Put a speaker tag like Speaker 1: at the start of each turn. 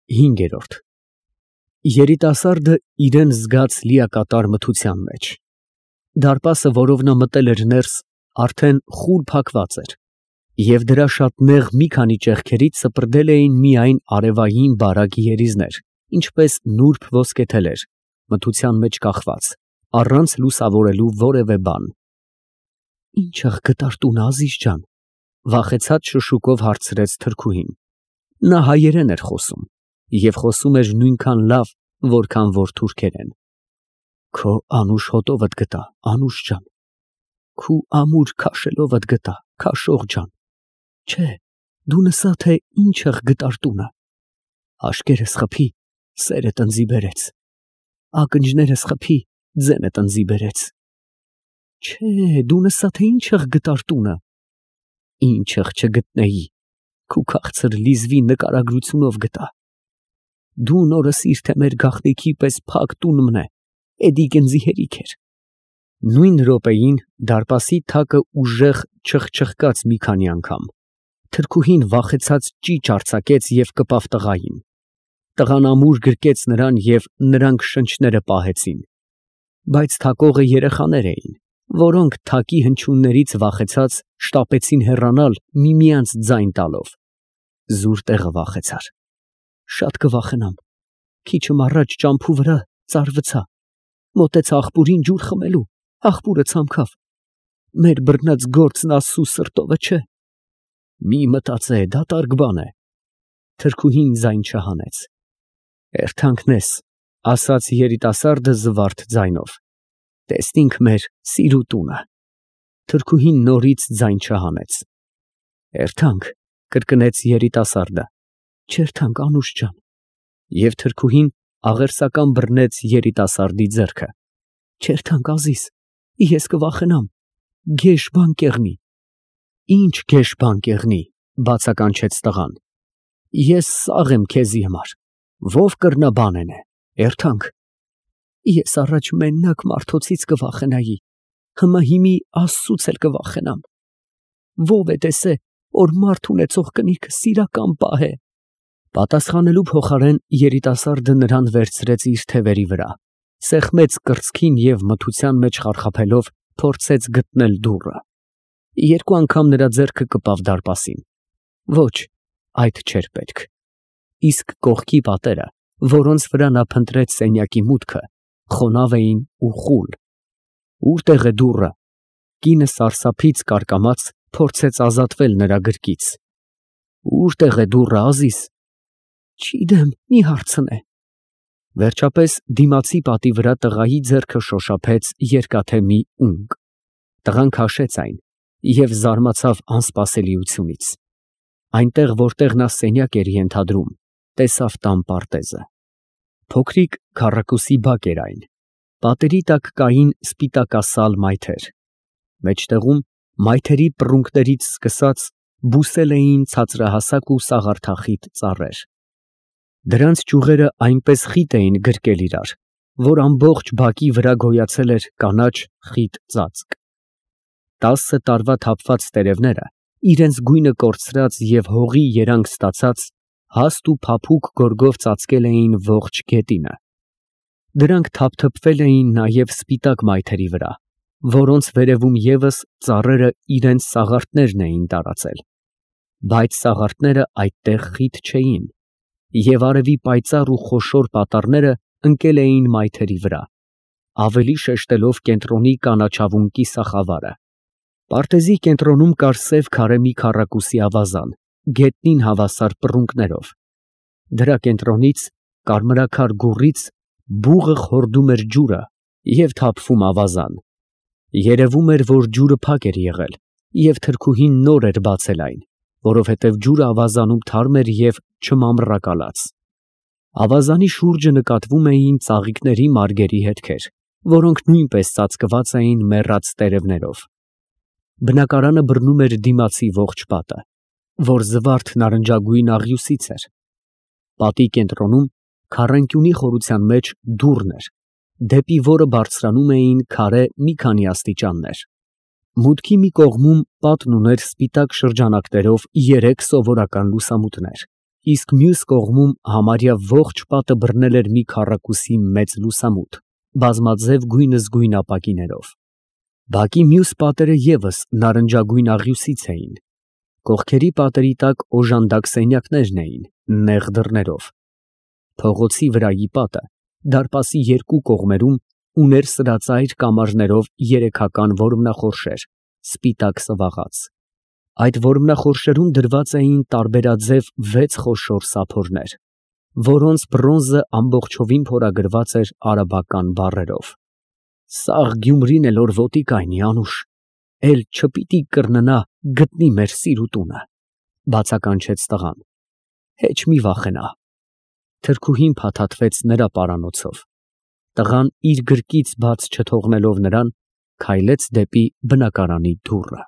Speaker 1: 5։ Երիտասարդը իրան զգաց լիակատար մթության մեջ։ Դարպասը, որով նա մտել էր ներս, արդեն խուլ փակված էր, և դրա շատ նեղ մի քանի ճեղքերից սպրդել էին միայն արևային բարակ երիզներ, ինչպես նուրբ ոսկե թելեր, մթության մեջ կախված, առանց լուսավորելու որևէ բան։ «Ի՞նչ աղ տուն է, Ազիզ ջան», վախեցած շշուկով հարցրեց թրքուհին։ Նա հայերեն էր խոսում և խոսում էր նույնքան լավ, որքան որ թուրքերեն։ «Քո անուշ հոտովդ գտա, Անուշ ջան, քու ամուր քաշելովդ գտա, Քաշող ջան, չէ, դու նսա, թե ինչ աղ տունը, աշկերս խփի, սերը տնձի բերեց, ակնջներս խփի, ձենը տնձի բերեց, չէ, դու նսա, թե ինչ աղ տունը, ինչ աղ չգտնեի, քու քաղցր լիզվի նկարագրությունով գտա, դու նորս իր թե մեր գաղտնիքի պես փակ տուն մնե, էդի գնձի հերիք էր»։ Նույն րոպեին դարպասի թակը ուժեղ չխչխկաց մի քանի անգամ։ Թրքուհին վախեցած ճիչ արձակեց և կպավ տղային։ Տղան ամուր գրկեց նրան և նրանք շնչները պահեցին։ Բայց թակողը երեխաներ էին, որոնք թակի հնչյուններից վախեցած շտապեցին հեռանալ միմյանց ձայն տալով։ Զուր տեղը վախեցար։ Շատ կվախենամ, քիչմ առաջ ճամփու վրա ծարվցա, մոտեցա աղբուրին ջուր խմելու, աղբուրը ցամքավ, մեր բռնած գործն Աստծու սրտովը չէ։ Մի մտածե, դատարկ բան է։ Թրքուհին ձայն չհանեց։ Էրթանքն ես, ասաց երիտասարդը զվարթ ձայնով, տեսնինք մեր սիրու տունը։ Թրքուհին նորից ձայն չհանեց։ Էրթանք, կրկնեց երիտասարդը, չերթանք, Անուշ ջան։ Եվ թրքուհին աղերսական բռնեց երիտասարդի ձեռքը։ Չերթանք, Ազիզ, ես կվախենամ, գեշ բան կեղնի։ Ինչ գեշ բան կեղնի, բացականչեց տղան։ Ես սաղ եմ քեզի համար, ով կրնա բանենե, էրթանք։ Ես առաջ մենակ մարդոցից կվախենայի, հիմա հիմի Աստծուց էլ կվախենամ։ Ով է տեսե, որ մարդ ունեցող կնիքը սիրական պահ է։ Պատասխանելու փոխարեն երիտասարդը նրան վերցրեց իր թևերի վրա, սեղմեց կրծքին և մթության մեջ խարխափելով փորձեց գտնել դուռը։ Երկու անգամ նրա ձեռքը կպավ դարպասին։ Ոչ, այդ չէր պետք։ Իսկ կողքի պատերը, որոնց վրա նա փնտրեց սենյակի մուտքը, խոնավ էին ու խուլ։ Ո՞ւրտեղ է դուռը։ Կինը սարսափից կարկամած փորձեց ազատվել նրա գրկից։ Ո՞ւրտեղ է դուռը, Ազիզ։ Չգիտեմ, մի հարցնե։ Վերջապես դիմացի պատի վրա տղայի ձեռքը շոշափեց երկաթե մի ունկ։ Տղան քաշեց այն և զարմացավ անսպասելիությունից։ Այնտեղ, որտեղ նա սենյակ էր ենթադրում, տեսավ տան պարտեզը։ Փոքրիկ քառակուսի բակ էր այն։ Պատերի տակ կային սպիտակասալ մայթեր։ Մեջտեղում մայթերի պռունգներից սկսած բուսել էին ցածրահասակ ու սաղարթախիտ ծառեր։ Դրանց ճյուղերը այնպես խիտ էին գրկել իրար, որ ամբողջ բակի վրա գոյացել էր կանաչ խիտ ծածկ։ 10 տարվա թափված տերևները, իրենց գույնը կորցրած և հողի երանգ ստացած, հաստ ու փափուկ գորգով ծածկել էին ողջ գետինը։ Դրանք թափթփվել էին նաև սպիտակ մայթերի վրա, որոնց վերևում ևս ծառերը իրենց սաղարթներն էին տարածել։ Բայց սաղարթները այդտեղ խիտ չէին, և արևի պայծառ ու խոշոր պատառները ընկել էին մայթերի վրա, ավելի շեշտելով կենտրոնի կանաչավուն կիսախավարը։ Պարտեզի կենտրոնում կար սև քարե մի քառակուսի ավազան, գետնին հավասար պռունգներով։ Դրա կենտրոնից, կարմրաքար գուռից, բուղը խորդում էր ջուրը և թափվում ավազան։ Երևում էր, որ ջուրը փակ էր եղել, և թրքուհին նոր էր բացել այն, որովհետև ջուրը ավազանում թարմ էր և չմամռակալած։ Ավազանի շուրջը նկատվում էին ծաղիկների մարգերի հետքեր, որոնք նույնպես ծածկված էին մեռած տերևներով։ Բնակարանը բռնում էր դիմացի ողջ պատը, որ զվարթ նարնջագույն աղյուսից էր։ Պատի կենտրոնում, քառանկյունի խորության մեջ դուռն էր, դեպի որը բարձրանում էին քարե մի քանի աստիճաններ։ Մուտքի մի կողմում պատն ուներ սպիտակ շրջանակներով 3 սովորական լուսամուտներ, իսկ մյուս կողմում համարյա ողջ պատը բռնել էր մի քառակուսի մեծ լուսամուտ, բազմաձև գույնզգույն ապակիներով։ Բակի մյուս պատերը ևս նարնջագույն աղյուսից էին, կողքերի պատերի տակ օժանդակ սենյակներն էին, նեղ դռներով։ Փողոցի վրայի պատը դարպասի երկու կողմերում ուներ սրածայր կամարներով երեքական որմնախորշեր, սպիտակ սվաղած։ Այդ որմնախորշերում դրված էին տարբերաձև 6 խոշոր սափորներ, որոնց բրոնզը ամբողջովին փորագրված էր արաբական բառերով։ «Սաղ Գյումրին էլ որ ոտի կայնի, Անուշ, էլ չպիտի կրննա գտնի մեր սիրուտունը», բացականչեց տղան։ «Հեչ մի վախենա»։ Թրքուհին փաթաթվեց նրա պարանոցով։ Տղան իր գրկից բաց չթողնելով նրան, քայլեց դեպի բնակարանի դուռը։